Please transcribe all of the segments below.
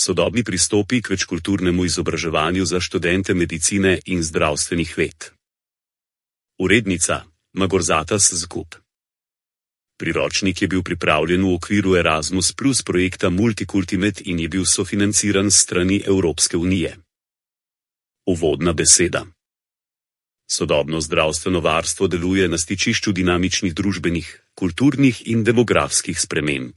Sodobni pristopi k večkulturnemu izobraževanju za študente medicine in zdravstvenih ved. Urednica Magorzatas Zgub. Priročnik je bil pripravljen v okviru Erasmus Plus projekta Multicultimate in je bil sofinanciran s strani Evropske unije. Uvodna beseda. Sodobno zdravstveno varstvo deluje na stičišču dinamičnih družbenih, kulturnih in demografskih sprememb.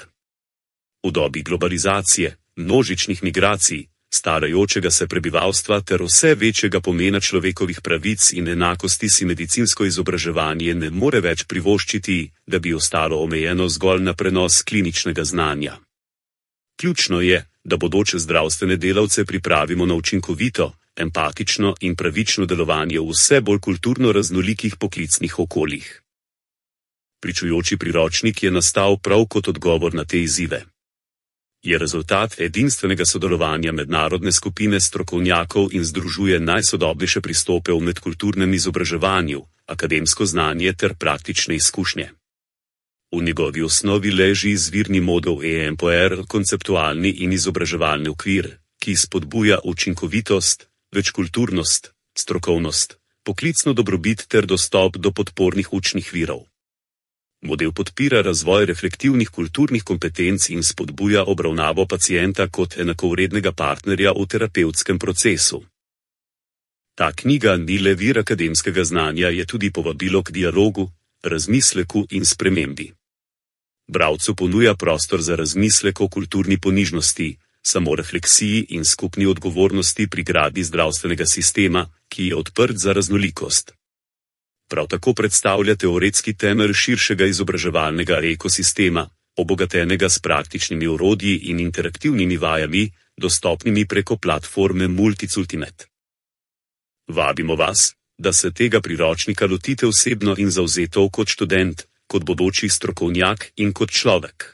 V dobi globalizacije, množičnih migracij, starajočega se prebivalstva ter vse večjega pomena človekovih pravic in enakosti si medicinsko izobraževanje ne more več privoščiti, da bi ostalo omejeno zgolj na prenos kliničnega znanja. Ključno je, da bodoče zdravstvene delavce pripravimo na učinkovito, empatično in pravično delovanje v vse bolj kulturno raznolikih poklicnih okoljih. Pričujoči priročnik je nastal prav kot odgovor na te izzive. Je rezultat edinstvenega sodelovanja mednarodne skupine strokovnjakov in združuje najsodobnejše pristope v medkulturnem izobraževanju, akademsko znanje ter praktične izkušnje. V njegovi osnovi leži izvirni model EMPOR, konceptualni in izobraževalni okvir, ki spodbuja učinkovitost, večkulturnost, strokovnost, poklicno dobrobit ter dostop do podpornih učnih virov. Model podpira razvoj reflektivnih kulturnih kompetenc in spodbuja obravnavo pacienta kot enakovrednega partnerja v terapevtskem procesu. Ta knjiga ni le vir akademskega znanja, je tudi povabilo k dialogu, razmisleku in spremembi. Bralcu ponuja prostor za razmislek o kulturni ponižnosti, samorefleksiji in skupni odgovornosti pri gradnji zdravstvenega sistema, ki je odprt za raznolikost. Prav tako predstavlja teoretski temelj širšega izobraževalnega ekosistema, obogatenega s praktičnimi orodji in interaktivnimi vajami, dostopnimi preko platforme Multicultimate. Vabimo vas, da se tega priročnika lotite osebno in zavzeto kot študent, kot bodoči strokovnjak in kot človek.